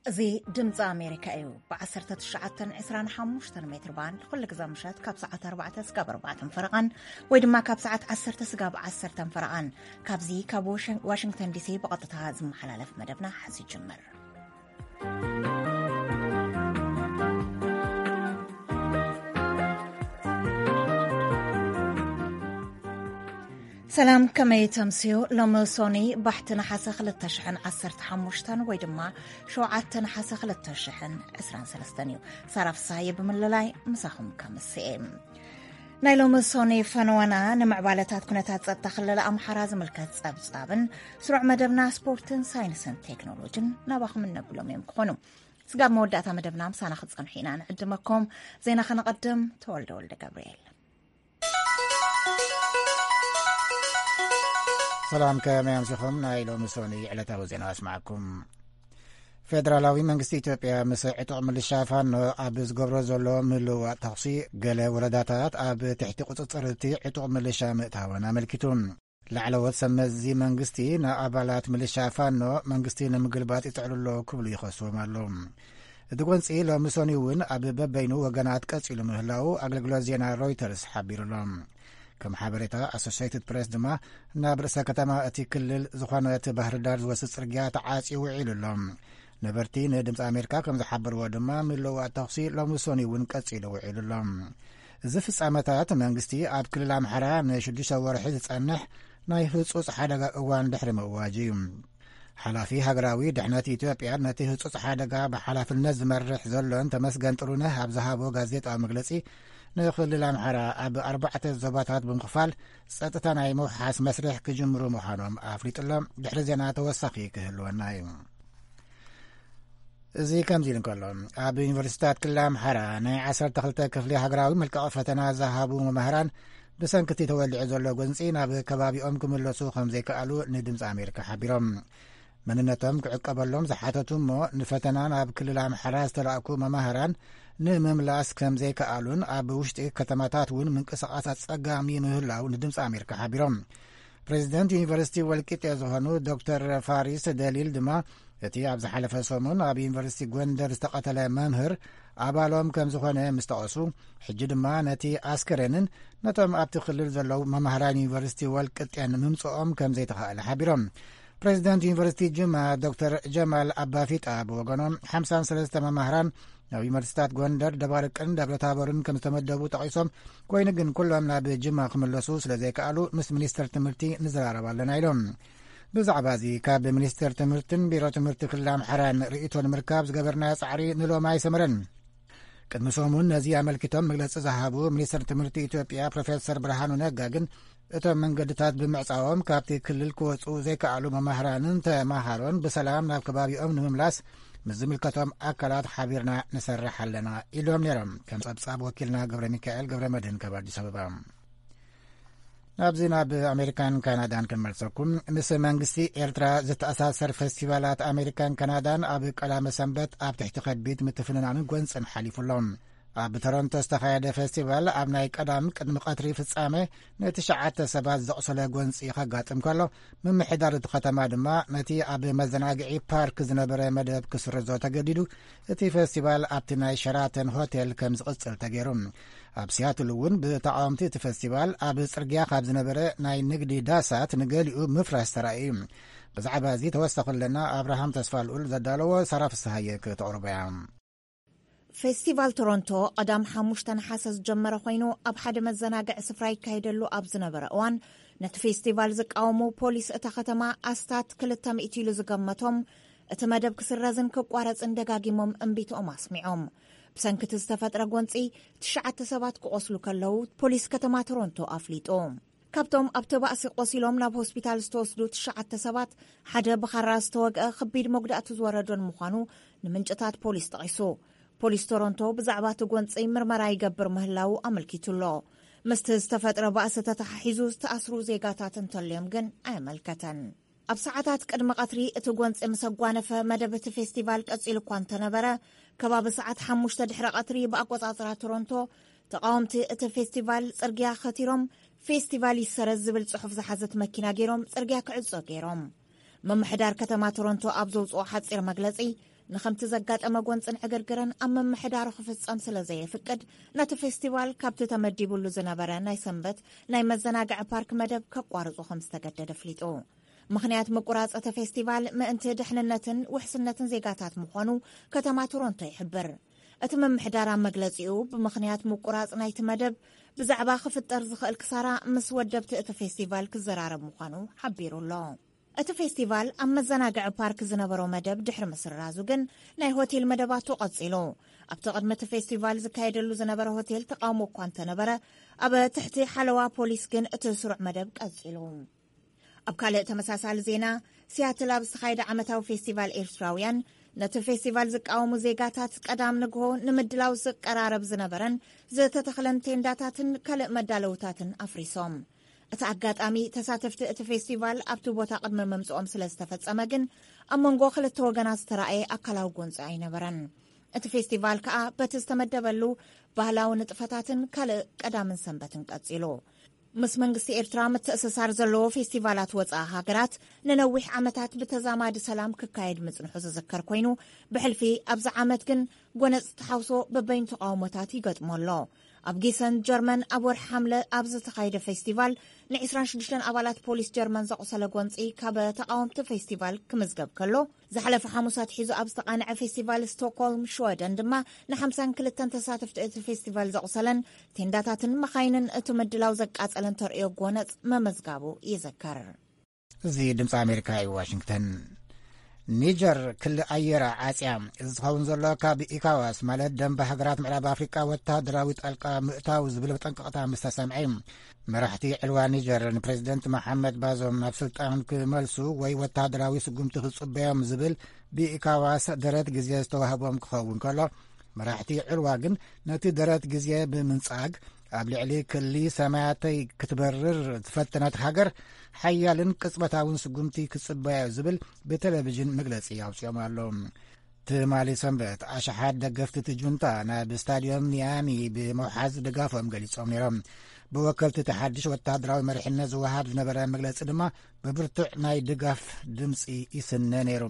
እዚ ድምፂ ኣሜሪካ እዩ። ብ1925 ሜትር ባንድ ኩሉ ግዜ ምሸት ካብ ሰዓት ኣርባዕተ ስጋብ ኣርባዕተ ፈረቓን ወይ ድማ ካብ ሰዓት ዓሰርተ ስጋብ ዓሰርተ ፈረቓን ካብዚ ካብ ዋሽን-፣ ዋሽንግተን ዲሲ ብቐጥታ ዝመሓላለፍ መደብና ሓዚ ይጅምር። ሰላም፣ ከመይ ተምስዩ? ሎሚ ሶኒ ባሕቲ ነሓሰ ክልተ ሽሕን ዓሰርተ ሓሙሽተን ወይ ድማ ሸውዓተ ነሓሰ ክልተ ሽሕን ዕስራን ሰለስተን እዩ። ሳራ ፍሳሃየ ብምልላይ ምሳኹም ከምስኤ። ናይ ሎሚ ሶኒ ፈነወና ንምዕባለታት ኩነታት ጸጥታ ክልል ኣምሓራ ዝምልከት ጸብጻብን ስሩዕ መደብና ስፖርትን ሳይንስን ቴክኖሎጂን ናባኹም እነብሎም እዮም ክኾኑ። ስጋብ መወዳእታ መደብና ምሳና ክትጸንሑ ኢና ንዕድመኩም። ዜና ከነቐድም፣ ተወልደ ወልደ ገብርኤል። ሰላም፣ ከመይ ኣምሲኹም? ናይ ሎሚ ሶኒ ዕለታዊ ዜና ኣስማዕኩም። ፌደራላዊ መንግስቲ ኢትዮጵያ ምስ ዕጡቕ ምልሻ ፋኖ ኣብ ዝገብሮ ዘሎ ምልውዋጥ ተኹሲ፣ ገለ ወረዳታት ኣብ ትሕቲ ቁጽጽር እቲ ዕጡቕ ምልሻ ምእታወን ኣመልኪቱ። ላዕለዎት ሰብ መዚ መንግስቲ ንኣባላት ምልሻ ፋኖ መንግስቲ ንምግልባጥ ይጽዕሩ ኣለዉ ክብሉ ይኸስዎም ኣለዉ። እቲ ጎንጺ ሎሚ ሶኒ እውን ኣብ በበይኑ ወገናት ቀጺሉ ምህላዉ ኣገልግሎት ዜና ሮይተርስ ሓቢሩ ኣሎ። ከም ሓበሬታ ኣሶሴይትድ ፕሬስ ድማ፣ ናብ ርእሰ ከተማ እቲ ክልል ዝኾነት ባህርዳር ዝወስድ ጽርግያ ተዓጽዩ ውዒሉ ኣሎ። ነበርቲ ንድምፂ ኣሜሪካ ከም ዝሓበርዎ ድማ፣ ምልውዋጥ ተኹሲ ሎሚ ሶኒ እውን ቀጺሉ ውዒሉ ኣሎ። እዚ ፍጻመታት መንግስቲ ኣብ ክልል ኣምሓራ ንሽዱሽተ ወርሒ ዝጸንሕ ናይ ህጹጽ ሓደጋ እዋን ድሕሪ ምእዋጅ እዩ። ሓላፊ ሃገራዊ ድሕነት ኢትዮጵያ ነቲ ህጹጽ ሓደጋ ብሓላፍነት ዝመርሕ ዘሎን ተመስገን ጥሩነህ ኣብ ዝሃቦ ጋዜጣዊ መግለጺ፣ ንክልል ኣምሓራ ኣብ ኣርባዕተ ዞባታት ብምኽፋል ጸጥታ ናይ ምውሓስ መስርሕ ክጅምሩ ምዃኖም ኣፍሊጡ ኣሎ። ድሕሪ ዜና ተወሳኺ ክህልወና እዩ። እዚ ከምዚ ኢሉ እንከሎ፣ ኣብ ዩኒቨርሲቲታት ክልል ኣምሓራ ናይ ዓሰርተ ክልተ ክፍሊ ሃገራዊ መልቀቒ ፈተና ዝሃቡ መምህራን ብሰንኪ እቲ ተወሊዑ ዘሎ ጎንጺ ናብ ከባቢኦም ክምለሱ ከም ዘይከኣሉ ንድምፂ ኣሜሪካ ሓቢሮም። መንነቶም ክዕቀበሎም ዝሓተቱ እሞ ንፈተና ናብ ክልል ኣምሓራ ዝተላእኩ መማህራን ንምምላስ ከም ዘይከኣሉን ኣብ ውሽጢ ከተማታት እውን ምንቅስቓስ ኣጸጋሚ ምህላው ንድምፂ ኣሜሪካ ሓቢሮም። ፕሬዚደንት ዩኒቨርሲቲ ወልቂጤ ዝኾኑ ዶክተር ፋሪስ ደሊል ድማ፣ እቲ ኣብ ዝሓለፈ ሰሙን ኣብ ዩኒቨርሲቲ ጎንደር ዝተቐተለ መምህር ኣባሎም ከም ዝኾነ ምስ ጠቐሱ፣ ሕጂ ድማ ነቲ ኣስከሬንን ነቶም ኣብቲ ክልል ዘለዉ መማህራን ዩኒቨርሲቲ ወልቂጤን ምምፅኦም ከም ዘይተኻእለ ሓቢሮም። ፕሬዚደንት ዩኒቨርሲቲ ጅማ ዶክተር ጀማል ኣባፊጣ ብወገኖም፣ ሓምሳን ሰለስተ መማህራን ናብ ዩኒቨርሲቲታት ጎንደር፣ ደባርቅን ደብረታቦርን ከም ዝተመደቡ ጠቒሶም፣ ኮይኑ ግን ኩሎም ናብ ጅማ ክምለሱ ስለ ዘይከኣሉ ምስ ሚኒስትር ትምህርቲ ንዘራረብ ኣለና ኢሎም። ብዛዕባ እዚ ካብ ሚኒስትር ትምህርትን ቢሮ ትምህርቲ ክልል ኣምሓራን ርእይቶ ንምርካብ ዝገበርናዮ ጻዕሪ ንሎሚ ኣይሰመረን። ቅድሚ ሰሙን ነዚ ኣመልኪቶም መግለጺ ዝሃቡ ሚኒስትር ትምህርቲ ኢትዮጵያ ፕሮፌሰር ብርሃኑ ነጋ ግን፣ እቶም መንገድታት ብምዕጻዎም ካብቲ ክልል ክወጹ ዘይከኣሉ መማህራንን ተማሃሮን ብሰላም ናብ ከባቢኦም ንምምላስ ምስ ዝምልከቶም ኣካላት ሓቢርና ንሰርሕ ኣለና ኢሎም ነይሮም። ከም ጸብጻብ ወኪልና ገብረ ሚካኤል ገብረ መድህን ካብ ኣዲስ ኣበባ። ናብዚ ናብ ኣሜሪካን ካናዳን ክንመልሰኩም። ምስ መንግስቲ ኤርትራ ዝተኣሳሰር ፌስቲቫላት ኣሜሪካን ካናዳን ኣብ ቀዳመ ሰንበት ኣብ ትሕቲ ከቢድ ምትፍንናንን ጎንጽን ሓሊፉ ኣሎ። ኣብ ቶሮንቶ ዝተኻየደ ፌስቲቫል ኣብ ናይ ቀዳም ቅድሚ ቀትሪ ፍጻመ ንትሽዓተ ሰባት ዘቑሰለ ጎንጺ ከጋጥም ከሎ፣ ምምሕዳር እቲ ከተማ ድማ ነቲ ኣብ መዘናግዒ ፓርክ ዝነበረ መደብ ክስርዞ ተገዲዱ፣ እቲ ፌስቲቫል ኣብቲ ናይ ሸራተን ሆቴል ከም ዝቕጽል ተገይሩ። ኣብ ሲያትል እውን ብተቓወምቲ እቲ ፌስቲቫል ኣብ ጽርግያ ካብ ዝነበረ ናይ ንግዲ ዳሳት ንገሊኡ ምፍራስ ተራእዩ እዩ። ብዛዕባ እዚ ተወሳኺ ኣለና ኣብርሃም ተስፋልኡል ዘዳለዎ፣ ሳራ ፍስሃየ ክተቕርቦ እያ። ፌስቲቫል ቶሮንቶ ቀዳም ሓሙሽተ ነሓሰ ዝጀመረ ኮይኑ፣ ኣብ ሓደ መዘናግዒ ስፍራ ይካየደሉ ኣብ ዝነበረ እዋን፣ ነቲ ፌስቲቫል ዝቃወሙ ፖሊስ እታ ከተማ ኣስታት ክልተ ሚእቲ ኢሉ ዝገመቶም፣ እቲ መደብ ክስረዝን ክቋረጽን ደጋጊሞም እምቢትኦም ኣስሚዖም። ብሰንኪ እቲ ዝተፈጥረ ጎንጺ፣ ትሽዓተ ሰባት ክቖስሉ ከለዉ፣ ፖሊስ ከተማ ቶሮንቶ ኣፍሊጡ። ካብቶም ኣብቲ ባእሲ ቆሲሎም ናብ ሆስፒታል ዝተወስዱ ትሽዓተ ሰባት፣ ሓደ ብኻራ ዝተወግአ፣ ከቢድ መጉዳእቲ ዝወረዶን ምዃኑ ንምንጭታት ፖሊስ ጠቒሱ። ፖሊስ ቶሮንቶ ብዛዕባ እቲ ጎንጺ ምርመራ ይገብር ምህላዉ ኣመልኪቱ ኣሎ። ምስቲ ዝተፈጥረ ባእሲ ተተሓሒዙ ዝተኣስሩ ዜጋታት እንተልዮም ግን ኣየመልከተን። ኣብ ሰዓታት ቅድሚ ቀትሪ እቲ ጎንጺ ምስ ኣጓነፈ፣ መደብ እቲ ፌስቲቫል ቀጺሉ እኳ እንተነበረ፣ ከባቢ ሰዓት ሓሙሽተ ድሕሪ ቀትሪ ብኣቆጻጽራ ቶሮንቶ፣ ተቓወምቲ እቲ ፌስቲቫል ጽርግያ ከቲሮም፣ "ፌስቲቫል ይሰረዝ" ዝብል ጽሑፍ ዝሓዘት መኪና ገይሮም ጽርግያ ክዕጾ ገይሮም። ምምሕዳር ከተማ ቶሮንቶ ኣብ ዘውጽኦ ሓጺር መግለጺ፣ ንኸምቲ ዘጋጠመ ጎንፅን ዕግርግርን ኣብ ምምሕዳሩ ክፍፀም ስለ ዘየፍቅድ፣ ነቲ ፌስቲቫል ካብቲ ተመዲቡሉ ዝነበረ ናይ ሰንበት ናይ መዘናግዒ ፓርክ መደብ ከቋርፁ ከም ዝተገደደ ኣፍሊጡ። ምኽንያት ምቁራፅ እቲ ፌስቲቫል ምእንቲ ድሕንነትን ውሕስነትን ዜጋታት ምዃኑ ከተማ ቶሮንቶ ይሕብር። እቲ ምምሕዳር ኣብ መግለፂኡ፣ ብምኽንያት ምቁራፅ ናይቲ መደብ ብዛዕባ ክፍጠር ዝኽእል ክሳራ ምስ ወደብቲ እቲ ፌስቲቫል ክዘራረብ ምዃኑ ሓቢሩ ኣሎ። እቲ ፌስቲቫል ኣብ መዘናግዒ ፓርክ ዝነበሮ መደብ ድሕሪ ምስራዙ ግን፣ ናይ ሆቴል መደባቱ ቀጺሉ። ኣብቲ ቅድሚ እቲ ፌስቲቫል ዝካየደሉ ዝነበረ ሆቴል ተቃውሞ እኳ እንተነበረ፣ ኣብ ትሕቲ ሓለዋ ፖሊስ ግን እቲ ስሩዕ መደብ ቀጺሉ። ኣብ ካልእ ተመሳሳሊ ዜና፣ ሲያትል ኣብ ዝተኻየደ ዓመታዊ ፌስቲቫል ኤርትራውያን፣ ነቲ ፌስቲቫል ዝቃወሙ ዜጋታት ቀዳም ንግሆ ንምድላው ዝቀራረብ ዝነበረን ዝተተኽለን ቴንዳታትን ካልእ መዳለውታትን ኣፍሪሶም። እቲ ኣጋጣሚ፣ ተሳተፍቲ እቲ ፌስቲቫል ኣብቲ ቦታ ቅድሚ ምምጽኦም ስለ ዝተፈጸመ ግን፣ ኣብ መንጎ ክልተ ወገናት ዝተራእየ ኣካላዊ ጎንጺ ኣይነበረን። እቲ ፌስቲቫል ከኣ በቲ ዝተመደበሉ ባህላዊ ንጥፈታትን ካልእ ቀዳምን ሰንበትን ቀጺሉ። ምስ መንግስቲ ኤርትራ ምትእስሳር ዘለዎ ፌስቲቫላት ወጻኢ ሃገራት ንነዊሕ ዓመታት ብተዛማዲ ሰላም ክካየድ ምጽንሑ ዝዝከር ኮይኑ፣ ብሕልፊ ኣብዚ ዓመት ግን ጎነጽ ተሓውሶ በበይኑ ተቃውሞታት ይገጥሞ ኣሎ። ኣብ ጊሰን ጀርመን ኣብ ወርሒ ሓምለ ኣብ ዝተኻየደ ፌስቲቫል ን ዕስራን ሽዱሽተን ኣባላት ፖሊስ ጀርመን ዘቑሰለ ጎንጺ ካብ ተቃወምቲ ፌስቲቫል ክምዝገብ ከሎ፣ ዝሓለፈ ሓሙስ ኣትሒዙ ኣብ ዝተቓንዐ ፌስቲቫል ስቶክሆልም ሽወደን ድማ ንሓምሳን ክልተን ተሳተፍቲ እቲ ፌስቲቫል ዘቑሰለን ቴንዳታትን መኻይንን እቲ ምድላው ዘቃጸለን ተርእዮ ጎነጽ መመዝጋቡ ይዝከር። እዚ ድምፂ ኣሜሪካ እዩ፣ ዋሽንግተን። ኒጀር ክሊ ኣየራ ዓፅያ። እዚ ዝኸውን ዘሎ ካብ ኢካዋስ ማለት ደንበ ሃገራት ምዕራብ ኣፍሪቃ ወታደራዊ ጣልቃ ምእታው ዝብል መጠንቀቕታ ምስ ተሰምዐ እዩ። መራሕቲ ዕልዋ ኒጀር ንፕሬዚደንት መሓመድ ባዞም ናብ ስልጣን ክመልሱ ወይ ወታደራዊ ስጉምቲ ክጽበዮም ዝብል ብኢካዋስ ደረት ግዜ ዝተዋህቦም ክኸውን ከሎ፣ መራሕቲ ዕልዋ ግን ነቲ ደረት ግዜ ብምንጻግ ኣብ ልዕሊ ክሊ ሰማያተይ ክትበርር ዝፈተነት ሃገር ሓያልን ቅጽበታውን ስጉምቲ ክጽበያ ዝብል ብቴሌቪዥን መግለጺ ኣውጺኦም ኣለዉ። ትማሊ ሰንበት ኣሽሓት ደገፍቲ እቲ ጁንታ ናብ ስታድዮም ኒያሚ ብምውሓዝ ድጋፎም ገሊጾም ነይሮም። ብወከልቲ እቲ ሓድሽ ወተሃደራዊ መሪሕነት ዝወሃብ ዝነበረ መግለጺ ድማ ብብርቱዕ ናይ ድጋፍ ድምጺ ይስነ ነይሩ።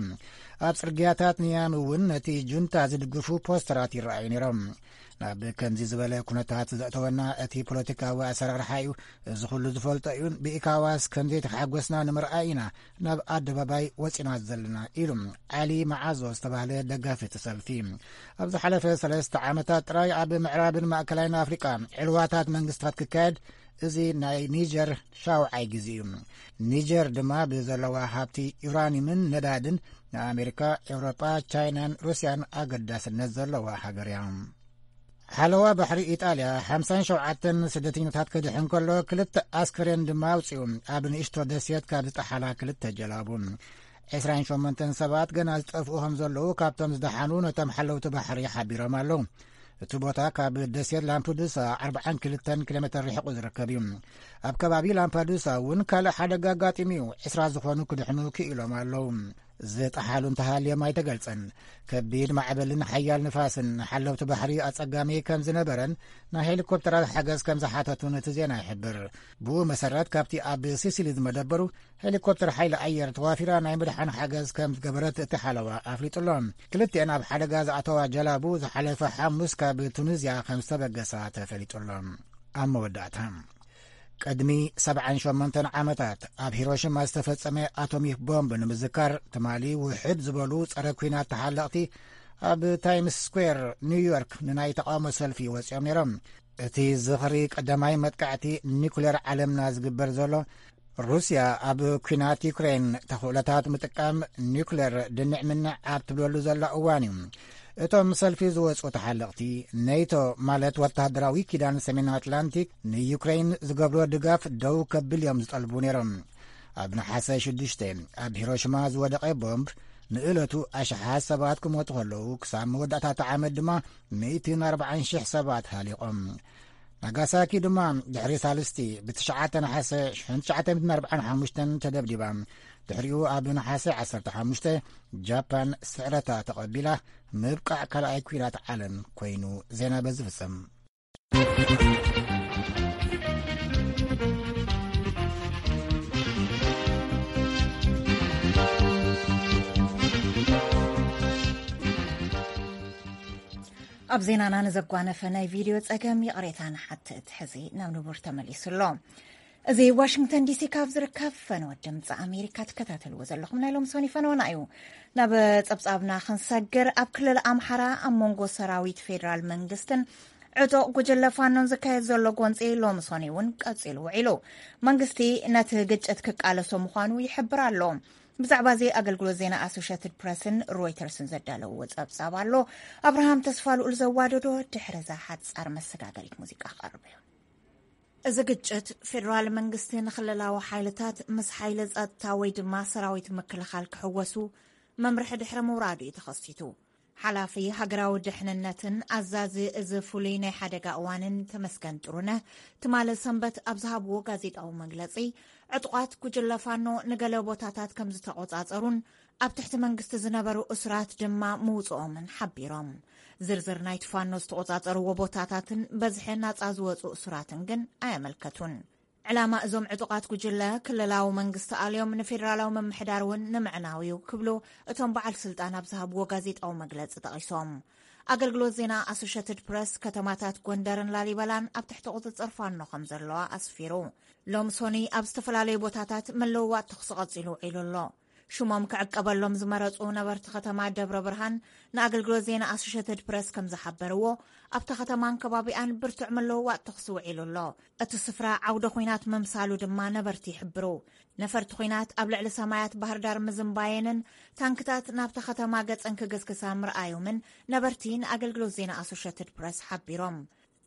ኣብ ጽርግያታት ኒያሚ እውን ነቲ ጁንታ ዝድግፉ ፖስተራት ይረኣዩ ነይሮም። ናብ ከምዚ ዝበለ ኩነታት ዘእተወና እቲ ፖለቲካዊ ኣሰራርሓ እዩ። እዚ ኩሉ ዝፈልጦ እዩ። ብኢካዋስ ከም ዘይተሓጎስና ንምርኣይ ኢና ናብ ኣደባባይ ወጺና ዘለና፣ ኢሉ ዓሊ መዓዞ ዝተባህለ ደጋፊ እቲ ሰልፊ። ኣብ ዝሓለፈ ሰለስተ ዓመታት ጥራይ ኣብ ምዕራብን ማእከላይን ኣፍሪቃ ዕልዋታት መንግስታት ክካየድ እዚ ናይ ኒጀር ሻውዓይ ግዜ እዩ። ኒጀር ድማ ብዘለዋ ሃብቲ ዩራኒየምን ነዳድን ንኣሜሪካ፣ ኤውሮጳ፣ ቻይናን ሩስያን ኣገዳስነት ዘለዋ ሃገር እያ። ሓለዋ ባሕሪ ኢጣልያ ሓምሳን ሸውዓተን ስደተኛታት ከድሕን ከሎ፣ ክልተ ኣስከሬን ድማ ኣውጺኡ። ኣብ ንእሽቶ ደሴት ካብ ዝጠሓላ ክልተ ጀላቡ ዕስራን ሸሞንተን ሰባት ገና ዝጠፍኡ ከም ዘለዉ ካብቶም ዝደሓኑ ነቶም ሓለውቲ ባሕሪ ሓቢሮም ኣለዉ። እቲ ቦታ ካብ ደሴት ላምፕዱሳ ኣርብዓን ክልተን ኪሎ ሜተር ርሒቑ ዝርከብ እዩ። ኣብ ከባቢ ላምፓዱሳ እውን ካልእ ሓደጋ ኣጋጢሙ እዩ። ዕስራ ዝኾኑ ክድሕኑ ክኢሎም ኣለዉ። ዝጠሓሉ እንተሃልዮም ኣይተገልጸን። ከቢድ ማዕበልን ሓያል ንፋስን ንሓለውቲ ባሕሪ ኣጸጋሚ ከም ዝነበረን ናይ ሄሊኮፕተራት ሓገዝ ከም ዝሓተቱን እቲ ዜና ይሕብር። ብኡ መሰረት፣ ካብቲ ኣብ ሲሲሊ ዝመደበሩ ሄሊኮፕተር ሓይሊ ኣየር ተዋፊራ ናይ ምድሓን ሓገዝ ከም ዝገበረት እቲ ሓለዋ ኣፍሊጡ ኣሎ። ክልቲኤን ኣብ ሓደጋ ዝኣተዋ ጀላቡ ዝሓለፈ ሓሙስ ካብ ቱኒዝያ ከም ዝተበገሳ ተፈሊጡ ኣሎ። ኣብ መወዳእታ፣ ቅድሚ ሰብዓን ሸሞንተን ዓመታት ኣብ ሂሮሺማ ዝተፈጸመ ኣቶሚክ ቦምብ ንምዝካር፣ ትማሊ ውሕድ ዝበሉ ጸረ ኲናት ተሓለቕቲ ኣብ ታይምስ ስኩዌር ኒውዮርክ ንናይ ተቓውሞ ሰልፊ ወጺኦም ነይሮም። እቲ ዝኽሪ ቀዳማይ መጥቃዕቲ ኒኩሌር ዓለምና ዝግበር ዘሎ፣ ሩስያ ኣብ ኲናት ዩክሬን ተኽእሎታት ምጥቃም ኒኩሌር ድንዕ ምንዕ ኣብ ትብለሉ ዘላ እዋን እዩ። እቶም ሰልፊ ዝወጹ ተሓለቕቲ፣ ኔቶ ማለት ወተሃደራዊ ኪዳን ሰሜን ኣትላንቲክ ንዩክሬን ዝገብሮ ድጋፍ ደው ከብል እዮም ዝጠልቡ ነይሮም። ኣብ ነሓሰ ሽዱሽተ ኣብ ሂሮሽማ ዝወደቐ ቦምብ ንእለቱ ኣሽሓት ሰባት ክሞቱ ከለዉ፣ ክሳብ መወዳእታ እቲ ዓመት ድማ ሚእትን ኣርባዓን ሽሕ ሰባት ሃሊቖም። ናጋሳኪ ድማ ድሕሪ ሳልስቲ ብትሽዓተ ነሓሰ ሽሕን ትሽዓተ ሚእትን ኣርባዓን ሓሙሽተን ተደብዲባ። ድሕሪኡ ኣብ ነሓሰ ዓሰርተ ሓሙሽተ ጃፓን ስዕረታ ተቐቢላ። ምብቃዕ ካልኣይ ኲናት ዓለም ኮይኑ። ዜና በዚ ፍጸም። ኣብ ዜናና ንዘጓነፈ ናይ ቪድዮ ጸገም ይቕሬታ ንሓትት። ሕዚ ናብ ንቡር ተመሊሱ ኣሎ። እዚ ዋሽንግተን ዲሲ ካብ ዝርከብ ፈነወ ድምፂ ኣሜሪካ ትከታተልዎ ዘለኹም ናይ ሎም ሶኒ ፈነወና እዩ። ናብ ጸብጻብና ክንሰግር፣ ኣብ ክልል ኣምሓራ ኣብ መንጎ ሰራዊት ፌዴራል መንግስትን ዕጡቕ ጉጅለ ፋኖን ዝካየድ ዘሎ ጎንፂ ሎም ሶኒ እውን ቀፂሉ ውዒሉ። መንግስቲ ነቲ ግጭት ክቃለሶ ምዃኑ ይሕብር ኣሎ። ብዛዕባ እዚ ኣገልግሎት ዜና ኣሶሽትድ ፕረስን ሮይተርስን ዘዳለውዎ ጸብጻብ ኣሎ። ኣብርሃም ተስፋ ልኡል ዘዋደዶ ድሕሪ እዛ ሓጻር መሰጋገሪት ሙዚቃ ክቐርብ እዩ። እዚ ግጭት ፌደራል መንግስቲ ንክልላዊ ሓይልታት ምስ ሓይሊ ጸጥታ ወይ ድማ ሰራዊት ምክልኻል ክሕወሱ መምርሒ ድሕሪ ምውራዱ እዩ ተኸሲቱ። ሓላፊ ሃገራዊ ድሕንነትን ኣዛዚ እዚ ፍሉይ ናይ ሓደጋ እዋንን ተመስገን ጥሩነህ ትማሊ ሰንበት ኣብ ዝሃብዎ ጋዜጣዊ መግለጺ፣ ዕጡቓት ጉጅለ ፋኖ ንገለ ቦታታት ከም ዝተቖጻጸሩን ኣብ ትሕቲ መንግስቲ ዝነበሩ እሱራት ድማ ምውጽኦምን ሓቢሮም። ዝርዝር ናይቲ ፋኖ ዝተቖጻጸርዎ ቦታታትን በዝሒ ናጻ ዝወጹ እሱራትን ግን ኣየመልከቱን። ዕላማ እዞም ዕጡቓት ጉጅለ ክልላዊ መንግስቲ ኣልዮም ንፌደራላዊ ምምሕዳር እውን ንምዕናው እዩ ክብሉ እቶም በዓል ስልጣን ኣብ ዝሃብዎ ጋዜጣዊ መግለጺ ጠቒሶም። ኣገልግሎት ዜና ኣሶሽትድ ፕረስ ከተማታት ጎንደርን ላሊበላን ኣብ ትሕቲ ቁጽጽር ፋኖ ከም ዘለዋ ኣስፊሩ። ሎም ሶኒ ኣብ ዝተፈላለዩ ቦታታት መለዋወጥ ተኹሲ ቀጺሉ ውዒሉ ኣሎ። ሽሞም ክዕቀበሎም ዝመረጹ ነበርቲ ከተማ ደብረ ብርሃን ንኣገልግሎት ዜና ኣሶሽትድ ፕረስ ከም ዝሓበርዎ፣ ኣብታ ከተማን ከባቢኣን ብርቱዕ መለዋወጥ ተኹሲ ውዒሉ ኣሎ። እቲ ስፍራ ዓውደ ኹናት ምምሳሉ ድማ ነበርቲ ይሕብሩ። ነፈርቲ ኹናት ኣብ ልዕሊ ሰማያት ባህር ዳር ምዝንባየንን ታንክታት ናብታ ከተማ ገጸን ክግስግሳ ምርኣዮምን ነበርቲ ንኣገልግሎት ዜና ኣሶሽትድ ፕረስ ሓቢሮም።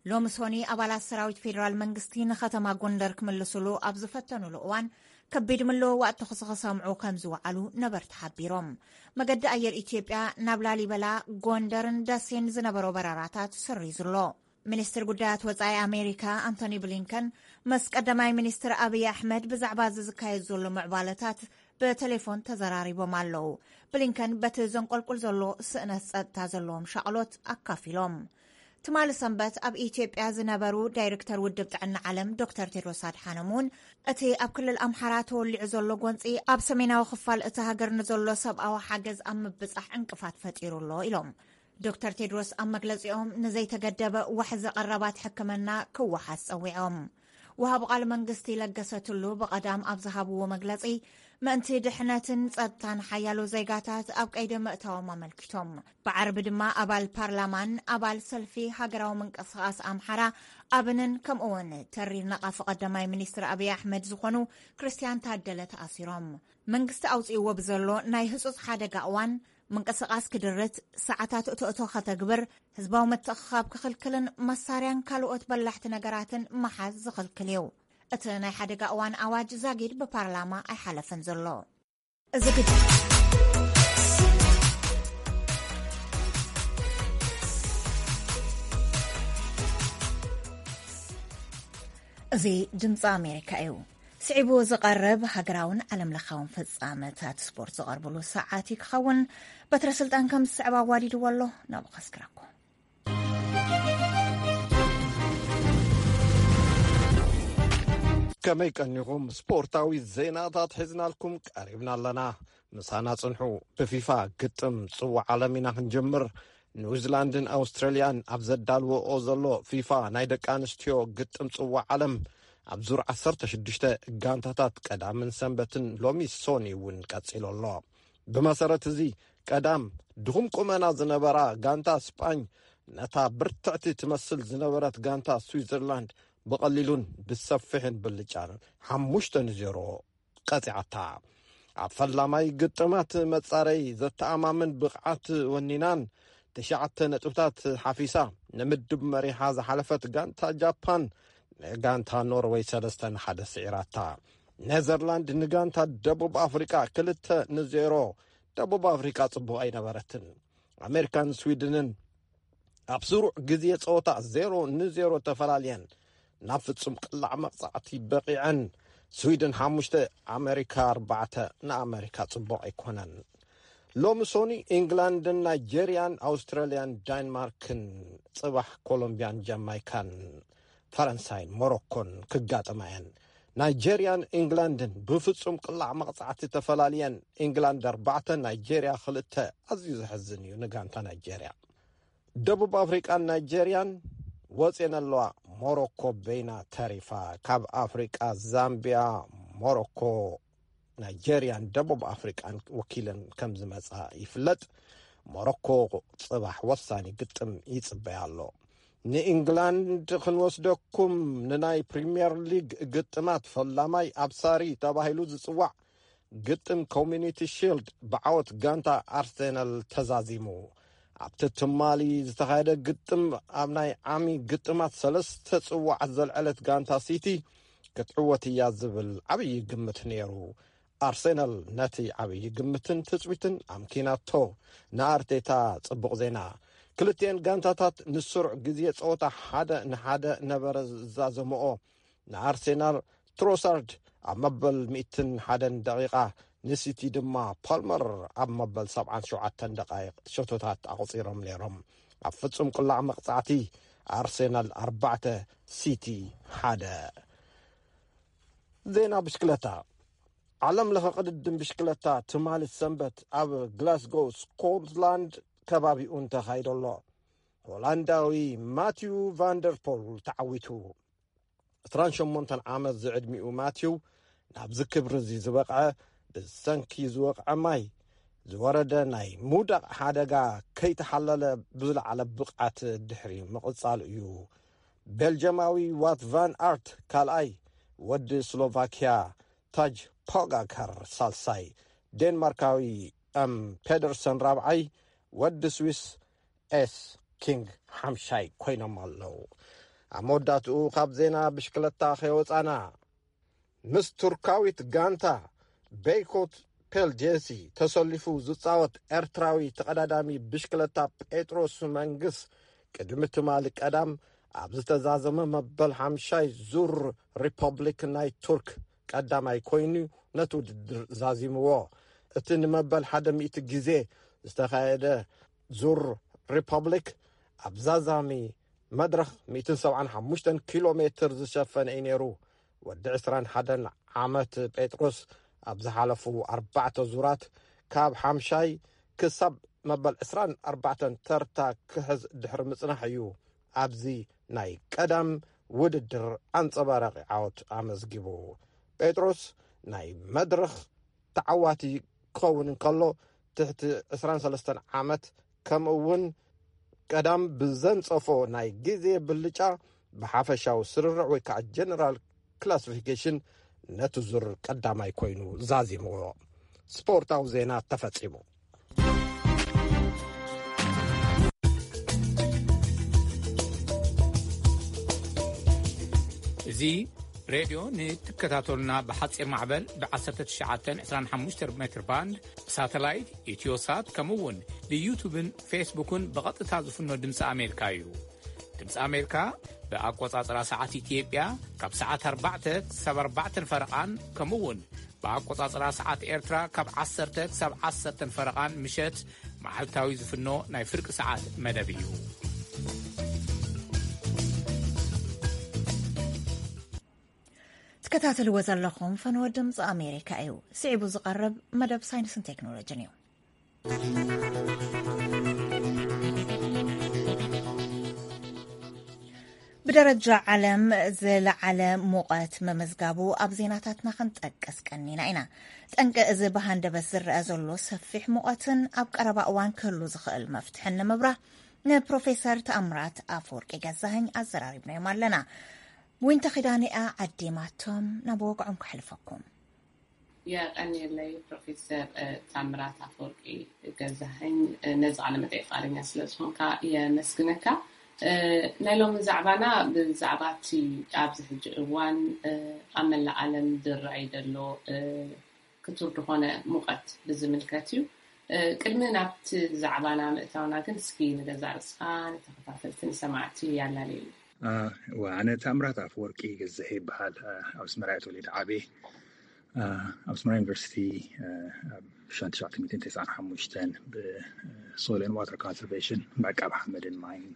ሎሚ ሶኒ ኣባላት ሰራዊት ፌደራል መንግስቲ ንከተማ ጎንደር ክምልስሉ ኣብ ዝፈተኑሉ እዋን ከቢድ ምልውዋጥ ተኹሲ ክሰምዑ ከም ዝወዓሉ ነበርቲ ሓቢሮም። መገዲ ኣየር ኢትዮጵያ ናብ ላሊበላ፣ ጎንደርን ደሴን ዝነበሮ በረራታት ሰሪዙ ኣሎ። ሚኒስትር ጉዳያት ወጻኢ ኣሜሪካ ኣንቶኒ ብሊንከን ምስ ቀዳማይ ሚኒስትር ኣብይ ኣሕመድ ብዛዕባ እዚ ዝካየድ ዘሎ ምዕባለታት ብቴሌፎን ተዘራሪቦም ኣለዉ። ብሊንከን በቲ ዘንቆልቁል ዘሎ ስእነት ጸጥታ ዘለዎም ሻቕሎት ኣካፊሎም። ትማሊ ሰንበት ኣብ ኢትዮጵያ ዝነበሩ ዳይሬክተር ውድብ ጥዕና ዓለም ዶክተር ቴድሮስ ኣድሓኖም እውን እቲ ኣብ ክልል ኣምሓራ ተወሊዑ ዘሎ ጎንፂ ኣብ ሰሜናዊ ክፋል እቲ ሃገር ንዘሎ ሰብኣዊ ሓገዝ ኣብ ምብጻሕ ዕንቅፋት ፈጢሩ ኣሎ ኢሎም። ዶክተር ቴድሮስ ኣብ መግለጺኦም ንዘይተገደበ ዋሕዚ ቀረባት ሕክምና ክወሓስ ጸዊዖም። ወሃቢ ቃል መንግስቲ ለገሰ ቱሉ ብቐዳም ኣብ ዝሃብዎ መግለጺ፣ ምእንቲ ድሕነትን ጸጥታን ሓያሎ ዜጋታት ኣብ ቀይዲ ምእታዎም ኣመልኪቶም። ብዓርቢ ድማ ኣባል ፓርላማን ኣባል ሰልፊ ሃገራዊ ምንቅስቓስ ኣምሓራ ኣብንን ከምኡውን ተሪር ነቓፊ ቀዳማይ ሚኒስትር ኣብይ ኣሕመድ ዝኾኑ ክርስቲያን ታደለ ተኣሲሮም። መንግስቲ ኣውጺእዎ ብዘሎ ናይ ህጹጽ ሓደጋ እዋን ምንቅስቓስ ክድርት፣ ሰዓታት እቶእቶ ከተግብር፣ ህዝባዊ ምትእኽኻብ ክኽልክልን መሳርያን ካልኦት በላሕቲ ነገራትን ምሓዝ ዝኽልክል እዩ። እቲ ናይ ሓደጋ እዋን ኣዋጅ ዛጊድ ብፓርላማ ኣይሓለፈን ዘሎ። እዚ ግጭ እዚ ድምፂ ኣሜሪካ እዩ። ስዒቡ ዝቐርብ ሃገራውን ዓለም ለኻውን ፍጻመታት ስፖርት ዝቐርብሉ ሰዓት እዩ ክኸውን። በትረ ስልጣን ከም ዝስዕብ ኣዋዲድዎ ኣሎ። ናብኡ ከስክረኩም። ከመይ ቀኒኹም? ስፖርታዊ ዜናታት ሒዝናልኩም ቀሪብና ኣለና። ምሳና ጽንሑ። ብፊፋ ግጥም ጽዋዕ ዓለም ኢና ክንጀምር። ኒውዚላንድን ኣውስትራልያን ኣብ ዘዳልወኦ ዘሎ ፊፋ ናይ ደቂ ኣንስትዮ ግጥም ጽዋዕ ዓለም ኣብ ዙር ዓሰርተ ሽዱሽተ ጋንታታት ቀዳምን ሰንበትን ሎሚ ሶኒ እውን ቀጺሉ ኣሎ። ብመሰረት እዚ ቀዳም ድኹም ቁመና ዝነበራ ጋንታ ስጳኝ ነታ ብርትዕቲ ትመስል ዝነበረት ጋንታ ስዊዘርላንድ ብቐሊሉን ብሰፊሕን ብልጫን ሓሙሽተ ንዜሮ ቀጺዓታ። ኣብ ፈላማይ ግጥማት መጻረይ ዘተኣማምን ብቕዓት ወኒናን ትሽዓተ ነጥብታት ሓፊሳ ንምድብ መሪሓ ዝሓለፈት ጋንታ ጃፓን ንጋንታ ኖርወይ ሰለስተ ንሓደ ስዒራታ። ኔዘርላንድ ንጋንታ ደቡብ ኣፍሪቃ ክልተ ንዜሮ። ደቡብ ኣፍሪቃ ጽቡቕ ኣይነበረትን። ኣሜሪካን ስዊድንን ኣብ ስሩዕ ግዜ ጸወታ ዜሮ ንዜሮ ተፈላልየን ናብ ፍጹም ቅላዕ መቕጻዕቲ በቒዐን። ስዊድን ሓሙሽተ፣ ኣሜሪካ ኣርባዕተ። ንኣሜሪካ ጽቡቕ ኣይኮነን። ሎሚ ሶኒ ኢንግላንድን ናይጄርያን፣ ኣውስትራልያን ዳንማርክን፣ ጽባሕ ኮሎምብያን ጃማይካን፣ ፈረንሳይን ሞሮኮን ክጋጠማ እየን። ናይጄርያን ኢንግላንድን ብፍጹም ቅላዕ መቕጻዕቲ ተፈላልየን። ኢንግላንድ ኣርባዕተ፣ ናይጄርያ ክልተ። ኣዝዩ ዘሕዝን እዩ ንጋንታ ናይጄርያ። ደቡብ ኣፍሪቃን ናይጄርያን ወፅየን ኣለዋ። ሞሮኮ በይና ተሪፋ። ካብ ኣፍሪቃ ዛምቢያ፣ ሞሮኮ፣ ናይጄርያን ደቡብ ኣፍሪቃን ወኪለን ከም ዝመጻ ይፍለጥ። ሞሮኮ ጽባሕ ወሳኒ ግጥም ይጽበያ ኣሎ። ንኢንግላንድ ክንወስደኩም፣ ንናይ ፕሪምየር ሊግ ግጥማት ፈላማይ ኣብሳሪ ተባሂሉ ዝጽዋዕ ግጥም ኮሚኒቲ ሺልድ ብዓወት ጋንታ ኣርሴናል ተዛዚሙ። ኣብቲ ትማሊ ዝተኻየደ ግጥም፣ ኣብ ናይ ዓሚ ግጥማት ሰለስተ ጽዋዓት ዘልዐለት ጋንታ ሲቲ ክትዕወት እያ ዝብል ዓብዪ ግምት ነይሩ። ኣርሴናል ነቲ ዓብዪ ግምትን ትጽቢትን ኣምኪናቶ። ንኣርቴታ ጽቡቕ ዜና። ክልቲኤን ጋንታታት ንስሩዕ ግዜ ጸወታ ሓደ ንሓደ ነበረ ዝዛዘምኦ። ንኣርሴናል ትሮሳርድ ኣብ መበል ሚእትን ሓደን ደቂቓ፣ ንሲቲ ድማ ፓልመር ኣብ መበል ሰብዓን ሸውዓተን ደቃይቕ ሸቶታት ኣቑጺሮም ነይሮም። ኣብ ፍጹም ቅላዕ መቕጻዕቲ ኣርሴናል ኣርባዕተ፣ ሲቲ ሓደ። ዜና ብሽክለታ። ዓለም ለኸ ቅድድም ብሽክለታ ትማሊ ሰንበት ኣብ ግላስጎ ስኮትላንድ ከባቢኡን ተኻይዶ ኣሎ። ሆላንዳዊ ማቲው ቫንደርፖል ተዓዊቱ። ዕስራን ሸሞንተን ዓመት ዝዕድሚኡ ማቲው ናብዚ ክብሪ እዚ ዝበቕዐ ብሰንኪ ዝወቕዐ ማይ ዝወረደ ናይ ምውዳቕ ሓደጋ ከይተሓለለ ብዝለዓለ ብቕዓት ድሕሪ ምቕጻሉ እዩ። ቤልጀማዊ ዋት ቫን ኣርት ካልኣይ፣ ወዲ ስሎቫኪያ ታጅ ፖጋካር ሳልሳይ፣ ዴንማርካዊ ኤም ፔደርሰን ራብዓይ፣ ወዲ ስዊስ ኤስ ኪንግ ሓምሻይ ኮይኖም ኣለዉ። ኣብ መወዳእትኡ ካብ ዜና ብሽክለታ ከይወጻና፣ ምስ ቱርካዊት ጋንታ ቤይኮት ፔልጄሲ ተሰሊፉ ዝጻወት ኤርትራዊ ተቐዳዳሚ ብሽክለታ ጴጥሮስ መንግስ ቅድሚ ትማሊ ቀዳም ኣብ ዝተዛዘመ መበል ሓምሻይ ዙር ሪፐብሊክ ናይ ቱርክ ቀዳማይ ኮይኑ ነቲ ውድድር ዛዚምዎ። እቲ ንመበል ሓደ ሚእቲ ግዜ ዝተኻየደ ዙር ሪፐብሊክ ኣብ ዛዛሚ መድረኽ ሚእትን ሰብዓን ሓሙሽተን ኪሎ ሜትር ዝሸፈነ እዩ ነይሩ። ወዲ ዕስራን ሓደን ዓመት ጴጥሮስ ኣብ ዝሓለፉ ኣርባዕተ ዙራት ካብ ሓምሻይ ክሳብ መበል ዕስራን ኣርባዕተን ተርታ ክሕዝ ድሕሪ ምጽናሕ እዩ ኣብዚ ናይ ቀዳም ውድድር ኣንጸባራቒ ዓወት ኣመዝጊቡ። ጴጥሮስ ናይ መድረኽ ተዓዋቲ ክኸውን እንከሎ፣ ትሕቲ ዕስራን ሰለስተን ዓመት ከምኡ እውን ቀዳም ብዘንጸፎ ናይ ግዜ ብልጫ ብሓፈሻዊ ስርርዕ ወይ ከዓ ጀነራል ክላሲፊኬሽን ነቲ ዙር ቀዳማይ ኮይኑ ዛዚምዎ። ስፖርታዊ ዜና ተፈጺሙ። እዚ ሬድዮ ንትከታተሉና ብሓጺር ማዕበል ብ1925 ሜትር ባንድ፣ ብሳተላይት፣ ኢትዮሳት፣ ከምኡ እውን ብዩቱብን ፌስቡክን ብቐጥታ ዝፍኖ ድምፂ ኣሜሪካ እዩ። ድምፂ ኣሜሪካ ብኣቆጻጽራ ሰዓት ኢትዮጵያ ካብ ሰዓት ኣርባዕተ ክሳብ ኣርባዕተን ፈረቓን፣ ከምኡ እውን ብኣቆጻጽራ ሰዓት ኤርትራ ካብ ዓሰርተ ክሳብ ዓሰርተን ፈረቓን ምሸት መዓልታዊ ዝፍኖ ናይ ፍርቂ ሰዓት መደብ እዩ። ትከታተልዎ ዘለኹም ፈነወ ድምፂ ኣሜሪካ እዩ። ስዒቡ ዝቐርብ መደብ ሳይንስን ቴክኖሎጅን እዩ። ብደረጃ ዓለም ዝለዓለ ሙቐት ምምዝጋቡ ኣብ ዜናታትና ክንጠቅስ ቀኒና ኢና። ጠንቂ እዚ ብሃንደበት ዝረአ ዘሎ ሰፊሕ ሙቐትን ኣብ ቀረባ እዋን ክህሉ ዝኽእል መፍትሕን ንምብራህ ንፕሮፌሰር ተኣምራት ኣፈወርቂ ገዛኸኝ ኣዘራሪብናዮም ኣለና። ዊንታ ኪዳነ እያ ዓዲማቶም፣ ናብ ወግዖም ከሕልፈኩም። የቐንየለይ ፕሮፌሰር፣ እ፣ ታምራት ኣፈወርቂ ገዛኸኝ፣ እ፣ ነዚ ቃለ መጠይቕ ፍቓደኛ ስለ ዝኾንካ የመስግነካ። እ፣ ናይ ሎሚ ዛዕባና ብዛዕባ እቲ ኣብዚ ሕጂ እዋን፣ እ፣ ኣብ መላእ ዓለም ዝረኣይ ዘሎ፣ እ፣ ክቱር ዝኾነ ሙቐት ብዝምልከት እዩ። እ፣ ቅድሚ ናብቲ ዛዕባና ምእታውና ግን እስኪ ንገዛእ ርእስኻ ንተኸታተልቲ ንሰማዕቲ ያላለየሉ። እ፣ እዋ፣ ኣነ ታምራት ኣፈወርቂ ገዛኸኝ ይበሃል። እ፣ ኣብ ኣስመራ እየ ተወሊደ ዓብየ። እ፣ ኣብ ኣስመራ ዩኒቨርሲቲ፣ እ፣ ኣብ ሸውዓተ ሚእትን ተስዓን ሓሙሽተን ብሶይል ኤንድ ዋተር ኮንሰርቬሽን፣ ብዕቃብ ሓመድን ማይን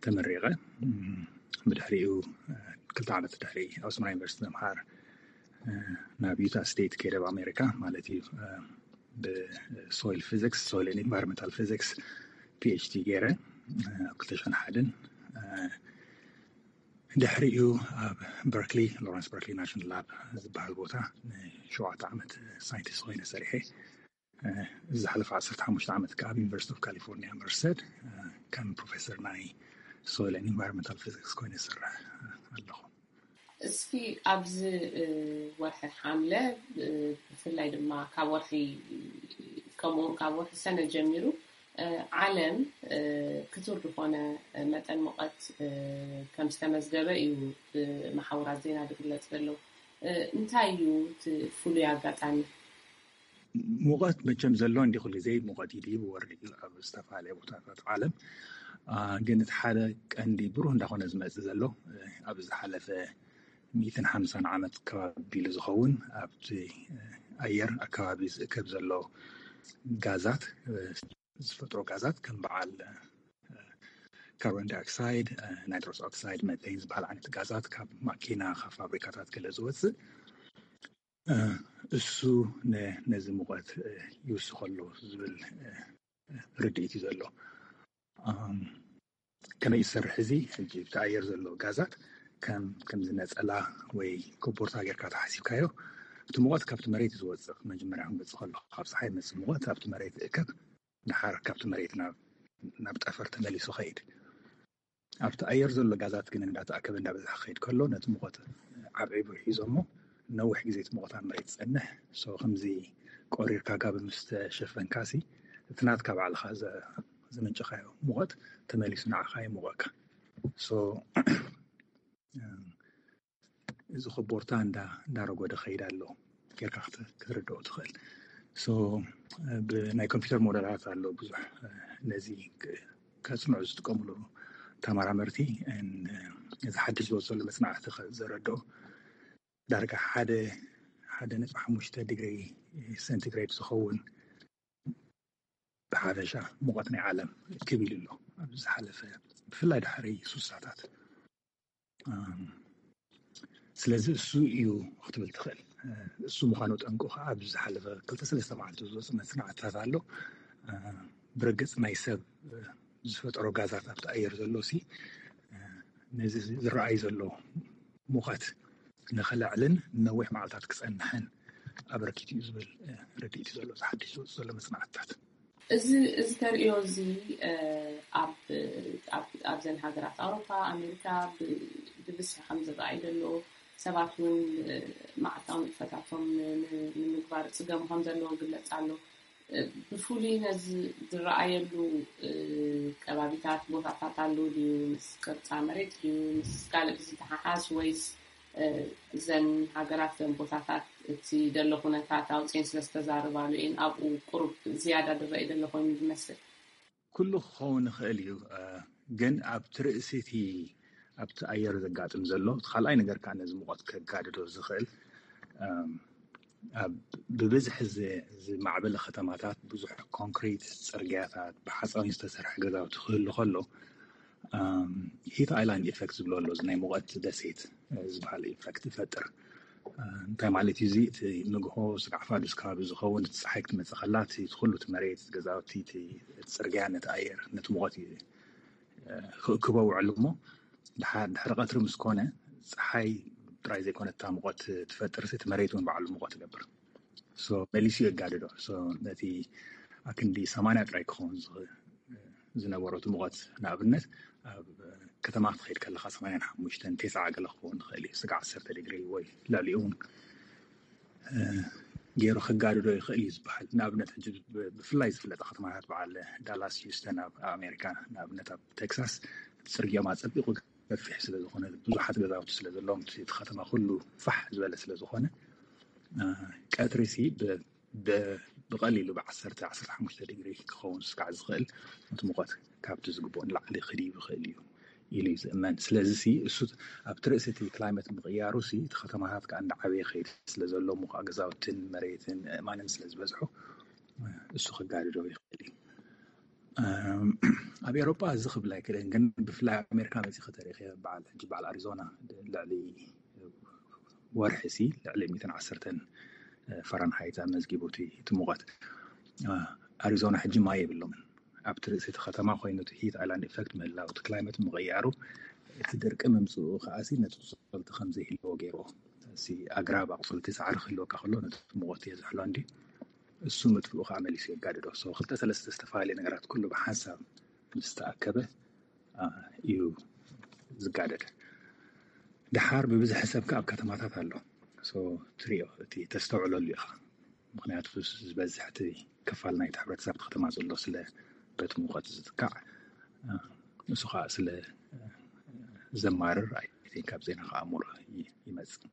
ተመሪቐ። እም፣ ብድሕሪኡ፣ እ፣ ክልተ ዓመት ድሕሪ ኣብ ኣስመራ ዩኒቨርሲቲ ምምሃር፣ እ፣ ናብ ዩታ ስቴት ከይደ፣ ኣብ ኣሜሪካ ማለት እዩ። እ፣ ብሶይል ፊዚክስ፣ ሶይል ኤንድ ኢንቫይሮንመንታል ፊዚክስ ፒ ኤች ዲ ገይረ። ኣብ ክልተ ሽሕን ሓደን ድሕሪኡ ኣብ በርክሊ ሎረንስ በርክሊ ናሽናል ላብ ዝበሃል ቦታ ንሸውዓተ ዓመት ሳይንቲስት ኮይነ ሰሪሐ። ዝሓለፈ ዓሰርተ ሓሙሽተ ዓመት ከዓ ኣብ ዩኒቨርሲቲ ኦፍ ካሊፎርኒያ መርሰድ ከም ፕሮፌሰር ናይ ሶይል ኤንድ ኢንቫይሮንመንታል ፊዚክስ ኮይነ ዝሰርሕ ኣለኹ። እስኪ ኣብዚ ወርሒ ሓምለ ብፍላይ ድማ ካብ ወርሒ ከምኡውን ካብ ወርሒ ሰነ ጀሚሩ ዓለም ክቱር ዝኾነ መጠን ሙቐት ከም ዝተመዝገበ እዩ ብመሓውራት ዜና ዝግለጽ ዘሎ። እንታይ እዩ እቲ ፍሉይ ኣጋጣሚ? ሙቐት መቸም ዘሎ እንዲ ኩሉ ግዜ ሙቐት እዩ ድዩ ወርድ እዩ ኣብ ዝተፈላለየ ቦታታት ዓለም። ግን እቲ ሓደ ቀንዲ ብሩህ እንዳኾነ ዝመፅእ ዘሎ ኣብ ዝሓለፈ ሚእትን ሓምሳን ዓመት ከባቢ ኢሉ ዝኸውን ኣብቲ ኣየር ኣከባቢ ዝእከብ ዘሎ ጋዛት፣ ዝፈጥሮ ጋዛት ከም በዓል ካርቦን ዳይኦክሳይድ፣ ናይትሮስ ኦክሳይድ፣ መቴን ዝበሃል ዓይነት ጋዛት ካብ ማኪና፣ ካብ ፋብሪካታት ገለ ዝወፅእ እሱ ነዚ ሙቐት ይውስኸሎ ዝብል ርድኢት እዩ ዘሎ። ከመይ ይሰርሕ እዚ? ሕጂ እቲ ኣየር ዘሎ ጋዛት ከም ከምዚ ነፀላ ወይ ኮቦርታ ጌርካ ተሓሲብካዮ፣ እቲ ሙቐት ካብቲ መሬት ዝወፅእ መጀመርያ ክመፅእ ከሎ ካብ ፀሓይ መፅእ ሙቐት ኣብቲ መሬት እከብ፣ ድሓር ካብቲ መሬት ናብ ጠፈር ተመሊሱ ኸይድ። ኣብቲ ኣየር ዘሎ ጋዛት ግን እንዳተኣከበ እንዳበዝሐ ክኸይድ ከሎ ነቲ ሙቐት ዓብዒቡ ሒዞሞ ነዊሕ ግዜ እቲ ሙቐት ኣብ መሬት ዝፀንሕ። ሶ ከምዚ ቆሪርካ ጋቢ ምስ ተሸፈንካሲ እቲ ናትካ ባዕልኻ ዘመንጨኻዮ ሙቐት ተመሊሱ ንዓኻ ይሙቐካ። ሶ እዚ ኮቦርታ እንዳረጎደ ኸይድ ኣሎ ጌርካ ክትርድኦ ትኽእል። ብናይ ኮምፒውተር ሞደላት ኣሎ ብዙሕ ነዚ ከጽንዑ ዝጥቀምሉ ተመራመርቲ። እዚ ሓድሽ ዝወፅ ዘሎ መፅናዕቲ ዘረድኦ ዳርጋ ሓደ ሓደ ነጥቢ ሓሙሽተ ዲግሪ ሴንቲግሬድ ዝኸውን ብሓፈሻ ሙቐት ናይ ዓለም ክብል ኣሎ ኣብ ዝሓለፈ ብፍላይ ድሕሪ ሱሳታት። ስለዚ እሱ እዩ ክትብል ትኽእል። እሱ ምዃኑ ጠንቁ ከዓ ኣብ ዝሓለፈ ክልተ ሰለስተ መዓልቲ ዝወፅ መፅናዕትታት ኣሎ። ብርግፅ ናይ ሰብ ዝፈጠሮ ጋዛት ኣብቲ ኣየር ዘሎ ሲ ነዚ ዝረኣይ ዘሎ ሙቐት ንክልዕልን ነዊሕ መዓልታት ክፀንሕን ኣበርኪት እዩ ዝብል ርድኢት ዘሎ ዝሓድሽ ዝወፅ ዘሎ መፅናዕትታት። እዚ እዚ ተርእዮ እዚ ኣብዘን ሃገራት ኣውሮፓ፣ ኣሜሪካ ብብዝሒ ከም ዝረኣይ ዘሎ፣ ሰባት እውን መዓልታዊ ንጥፈታቶም ንምግባር ፅገሙ ከም ዘለዎ ግለፅ ኣሎ። ብፍሉይ ነዚ ዝረኣየሉ ከባቢታት ቦታታት ኣሎ ድዩ? ምስ ቅርፃ መሬት ድዩ? ምስ ካልእ ዝተሓሓዝ ወይስ እዘን ሃገራት ዘን ቦታታት እቲ ዘሎ ኩነታት ኣውፅኤን ስለ ዝተዛረባሉ እየን ኣብኡ ቁሩብ ዝያዳ ዝረኣይ ዘሎ ኮይኑ ዝመስል? ኩሉ ክኸውን ይኽእል እዩ፣ ግን ኣብቲ ርእሲ እቲ ኣብቲ ኣየር ዘጋጥም ዘሎ እቲ ካልኣይ ነገር ከዓ ነዚ ሙቐት ከጋድዶ ዝኽእል ብብዝሒ ዝማዕበለ ከተማታት ብዙሕ ኮንክሪት ፅርግያታት ብሓፃዊን ዝተሰርሐ ገዛውቲ ክህሉ ከሎ ሂት ኣይላንድ ኢፌክት ዝብሎ ኣሎ። እዚ ናይ ሙቐት ደሴት ዝበሃል ኢፌክት ይፈጥር። እንታይ ማለት እዩ እዚ? እቲ ንግሆ ስጋዕ ፋዱስ ከባቢ ዝኸውን እቲ ፀሓይ ክትመፅእ ከላ እቲ ኩሉ እቲ መሬት ገዛውቲ እቲ ፅርግያ ነቲ ኣየር ነቲ ሙቐት እዩ ክእክቦ ውዕል እሞ ድሕሪ ቀትሪ ምስ ኮነ ፀሓይ ጥራይ ዘይኮነ እታ ሙቐት ትፈጥር እቲ መሬት እውን ባዕሉ ሙቐት ይገብር። መሊሱ የጋድዶ። ነቲ ኣክንዲ ሰማንያ ጥራይ ክኸውን ዝነበሮ እቲ ሙቐት ንኣብነት ኣብ ከተማ ክትኸይድ ከለካ ሰማንያን ሓሙሽተን ቴስዓ ገለ ክኸውን ይኽእል እዩ። ስጋ ዓሰርተ ዲግሪ ወይ ልዕሊኡ እውን ገይሩ ከጋድዶ ይኽእል እዩ ዝበሃል። ንኣብነት ሕጂ ብፍላይ ዝፍለጣ ከተማታት በዓል ዳላስ፣ ሂውስተን ኣብ ኣሜሪካ፣ ንኣብነት ኣብ ቴክሳስ ጽርግያኦም ኣጸቢቑ ገፊሕ ስለ ዝኾነ ብዙሓት ገዛውቲ ስለ ዘለዎም እቲ ከተማ ኩሉ ፋሕ ዝበለ ስለ ዝኾነ ቀትሪ ሲ ብቐሊሉ ብ ዓሰርተ ዓሰርተ ሓሙሽተ ዲግሪ ክኸውን ስጋዕ ዝኽእል እቲ ሙቐት ካብቲ ዝግብኦ ንላዕሊ ክድይብ ይኽእል እዩ ኢሉ እዩ ዝእመን። ስለዚ ሲ እሱ ኣብቲ ርእሲ እቲ ክላይመት ምቕያሩ ሲ እቲ ከተማታት ከዓ እንዳዓበየ ይኸይድ ስለ ዘሎ ሙኻእ ገዛውትን መሬትን ኣእማንን ስለ ዝበዝሑ እሱ ክጋድዶ ይኽእል እዩ። ኣብ ኤሮጳ እዚ ክብል ኣይክእልን፣ ግን ብፍላይ ኣሜሪካ መፂ ከተሪኸ በዓል ሕጂ በዓል ኣሪዞና ልዕሊ ወርሒ ሲ ልዕሊ ሚእትን ዓሰርተን ፋራንሃይት ኣመዝጊቡ እቲ ሙቐት። ኣሪዞና ሕጂ ማይ የብሎምን። ኣብቲ ርእሲ እቲ ከተማ ኮይኑ ትሕት ኣይላንድ ኢፈክት ምህላው፣ እቲ ክላይመት ምቕያሩ፣ እቲ ድርቂ ምምፅኡ ከዓሲ ነቲ ኣቑፅልቲ ከም ዘይህልዎ ገይርዎ። እዚ ኣግራብ ኣቑፅልቲ ሳዕሪ ክህልወካ ከሎ ነቲ ሙቐት እየ ዝሕሎ እንዲ እሱ ምጥፍኡ ከዓ መሊሱ የጋድዶ። So ክልተ ሰለስተ ዝተፈላለዩ ነገራት ኩሉ ብሓንሳብ ምስ ተኣከበ እዩ ዝጋደድ። ደሓር ብብዝሒ ሰብ ከዓ ኣብ ከተማታት ኣሎ። So ትሪኦ፣ እቲ ተስተውዕለሉ ኢኻ። ምክንያቱ ዝበዝሕ እቲ ክፋል ናይቲ ሕብረተሰብ ከተማ ዘሎ ስለ በቲ ሙቐት ዝጥቃዕ፣ እሱ ከዓ ስለ ዘማርር፣ ኣይ ቲንክ፣ ካብ ዜና ከኣምሮ ይመፅእ።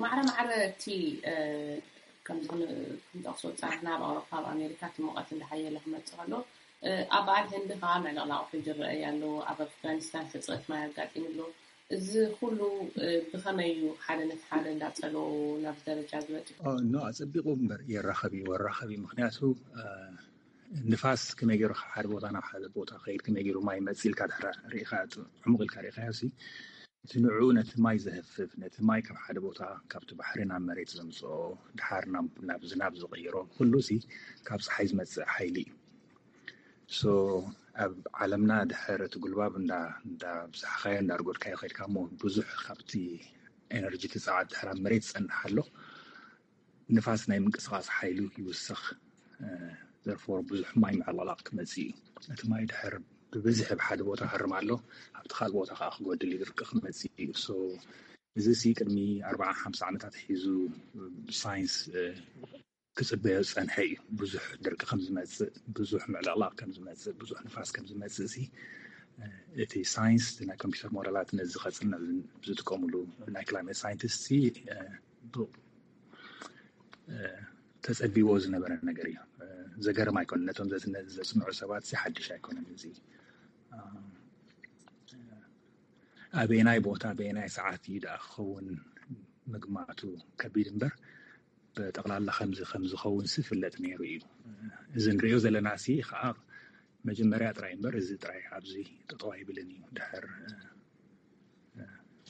ማዕረ ማዕረ እቲ ከምዚ ክንጠቕሶ ዝፀናሕና ኣብ ኣውሮፓ፣ ኣብ ኣሜሪካ እቲ ሙቐት እንዳሓየለ ክመፅእ ከሎ፣ ኣብ በዓል ህንዲ ከዓ ምዕልቕላቕ ውሕጅ ይረኣይ ኣሎ። ኣብ ኣፍጋኒስታን ሕፅረት ማይ ኣጋጢሙ ኣሎ። እዚ ኩሉ ብኸመይ እዩ ሓደ ነቲ ሓደ እንዳፀሎ ናብዚ ደረጃ ዝበፅሑ? ኖ፣ ኣፀቢቑ እምበር የራኸብ እዩ፣ ወራኸብ እዩ። ምክንያቱ ንፋስ ከመይ ገይሩ ካብ ሓደ ቦታ ናብ ሓደ ቦታ ከይድ፣ ከመይ ገይሩ ማይ መፅእ ኢልካ ድሕሪ ርኢኻ፣ ዕሙቕ ኢልካ ርኢኻዮ ሲ፣ እቲ ንዕኡ ነቲ ማይ ዘህፍፍ፣ ነቲ ማይ ካብ ሓደ ቦታ ካብቲ ባሕሪ ናብ መሬት ዘምፅኦ፣ ድሓር ናብ ናብ ዝናብ ዝቕይሮ፣ ኩሉ ሲ ካብ ፀሓይ ዝመፅእ ሓይሊ እዩ። So ኣብ ዓለምና ድሕር እቲ ጉልባብ እንዳ እንዳ ብዝሓኻዮ እንዳርጎድካዮ ከድካ እሞ ብዙሕ ካብቲ ኤነርጂ እቲ ፀዓት ድሕር ኣብ መሬት ዝፀንሕ ኣሎ። ንፋስ ናይ ምንቅስቃስ ሓይሉ ይውስኽ። Therefore ብዙሕ ማይ ምዕልቕላቕ ክመፅእ እዩ። እቲ ማይ ድሕር ብብዝሒ ኣብ ሓደ ቦታ ክሃርም ኣሎ፣ ኣብቲ ካልእ ቦታ ከዓ ክጎድል እዩ፣ ድርቂ ክመፅእ እዩ። So እዚ ሲ ቅድሚ ኣርባዓ ሓምሳ ዓመታት ሒዙ ብሳይንስ ክፅበዮ ዝፀንሐ እዩ። ብዙሕ ድርቂ ከም ዝመፅእ፣ ብዙሕ ምዕልቕላቕ ከም ዝመፅእ፣ ብዙሕ ንፋስ ከም ዝመፅእ ሲ እቲ ሳይንስ፣ እቲ ናይ ኮምፒውተር ሞዴላት ነዚ ከፅንዕ ዝጥቀምሉ ናይ ክላይሜት ሳይንቲስት ሲ ተፀቢዎ ዝነበረ ነገር እዩ። ዘገርም ኣይኮነን። ነቶም ዘጽንዑ ሰባት ሲ ሓድሽ ኣይኮነን። እዚ ኣበየናይ ቦታ ኣበየናይ ሰዓት እዩ ደኣ ክኸውን ምግማቱ ከቢድ እምበር፣ ብጠቕላላ ከምዚ ከም ዝኸውን ሲ ፍለጥ ነይሩ እዩ። እዚ ንሪኦ ዘለና ሲ ከዓ መጀመርያ ጥራይ እምበር፣ እዚ ጥራይ ኣብዚ ጠጠው ኣይብልን እዩ። ድሕር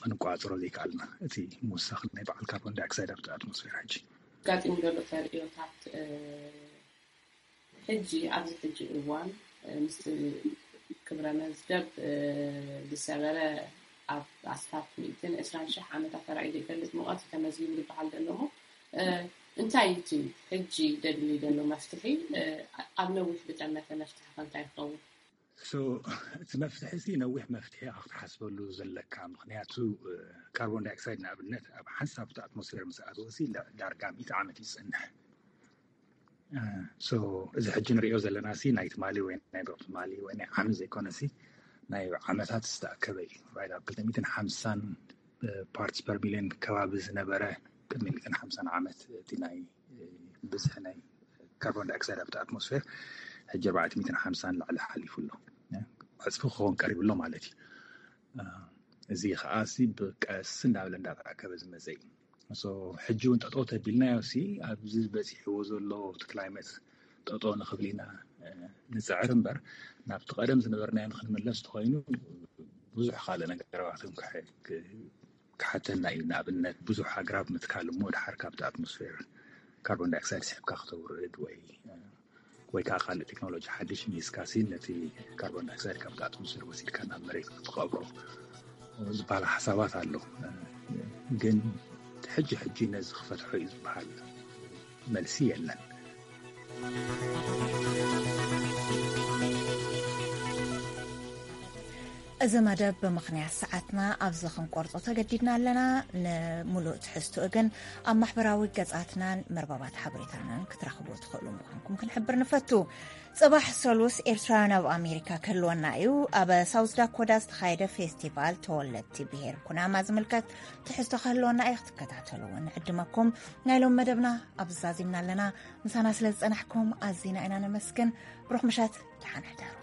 ክንቋፅሮ ዘይከኣልና፣ እቲ ምውሳኽ ናይ በዓል ካርቦን ዳይኦክሳይድ ኣብቲ ኣትሞስፌር ሕጂ ኣጋጢሙ ዘሎ ተርእዮታት፣ ሕጂ ኣብዚ ሕጂ እዋን ምስቲ ክብረ መዝገብ ዝሰበረ ኣብ ኣስታት ሚእትን ዕስራን ሽሕ ዓመታት ተራእዩ ዘይፈልጥ ሙቐት እዩ ተመዝጊቡ ዝበሃል ዘሎ እሞ፣ እንታይ እዩ እቲ ሕጂ ደድሊ ዘሎ መፍትሒ? ኣብ ነዊሕ ዝጠመተ መፍትሒ ከ እንታይ ይኸውን? እቲ መፍትሒ ሲ ነዊሕ መፍትሒ ኢኻ ክትሓስበሉ ዘለካ። ምክንያቱ ካርቦን ዳይኦክሳይድ ንኣብነት ኣብ ሓንሳብ እቲ ኣትሞስፌር ምስ ኣተወ ሲ ዳርጋ ሚእቲ ዓመት እዩ ዝፀንሕ። So እዚ ሕጂ ንሪኦ ዘለና ሲ ናይ ትማሊ ወይ ናይ ዶብ ትማሊ ወይ ናይ ዓመት ዘይኮነ ሲ ናይ ዓመታት ዝተኣከበ እዩ። Right? ኣብ ክልተ ሚእትን ሓምሳን ፓርትስ ፐር ሚሊዮን ከባቢ ዝነበረ ቅድሚ ሚእትን ሓምሳን ዓመት እቲ ናይ ብዝሒ ናይ ካርቦን ዳይኦክሳይድ ኣብቲ ኣትሞስፌር ሕጂ ኣርባዕተ ሚእትን ሓምሳን ላዕሊ ሓሊፉ ኣሎ። ዕፅፊ ክኸውን ቀሪቡ ኣሎ ማለት እዩ። እዚ ከዓ ሲ ብቀስ እንዳበለ እንዳተኣከበ ዝመፀ እዩ። ሕጂ እውን ጠጠው ተቢልናዮ ሲ ኣብዚ በፂሕዎ ዘሎ እቲ ክላይመት ጠጠው ንክብል ኢና ንፅዕር እምበር፣ ናብቲ ቀደም ዝነበርናዮ ንክንምለስ ተኮይኑ ብዙሕ ካልእ ነገራት ክሓተና እዩ። ንኣብነት ብዙሕ ኣግራብ ምትካል እሞ ድሓር ካብቲ ኣትሞስፌር ካርቦን ዳይኦክሳይድ ስሕብካ ክተውርድ ወይ ወይ ከዓ ካልእ ቴክኖሎጂ ሓድሽ ሚስካሲ ነቲ ካርቦን ዳይኦክሳይድ ካብቲ ኣትሞስፌር ወሲድካ ናብ መሬት ክትቀብሮ ዝበሃል ሓሳባት ኣሎ። ግን ሕጂ ሕጂ ነዚ ክፈትሖ እዩ ዝበሃል መልሲ የለን። እዚ መደብ ብምኽንያት ሰዓትና ኣብዚ ክንቆርጾ ተገዲድና ኣለና። ንምሉእ ትሕዝትኡ ግን ኣብ ማሕበራዊ ገጻትናን መርበባት ሓበሬታናን ክትረኽቡ ትኽእሉ ምዃንኩም ክንሕብር ንፈቱ። ጽባሕ ሰሉስ ኤርትራውያን ኣብ ኣሜሪካ ክህልወና እዩ። ኣብ ሳውዝ ዳኮዳ ዝተኻየደ ፌስቲቫል ተወለድቲ ብሄር ኩናማ ዝምልከት ትሕዝቶ ክህልወና እዩ። ክትከታተልዎ ንዕድመኩም። ናይ ሎም መደብና ኣብዚ ዛዚምና ኣለና። ምሳና ስለ ዝጸናሕኩም ኣዚና ኢና ነመስግን። ብሩኽ ምሸት፣ ደሓን ሕደሩ።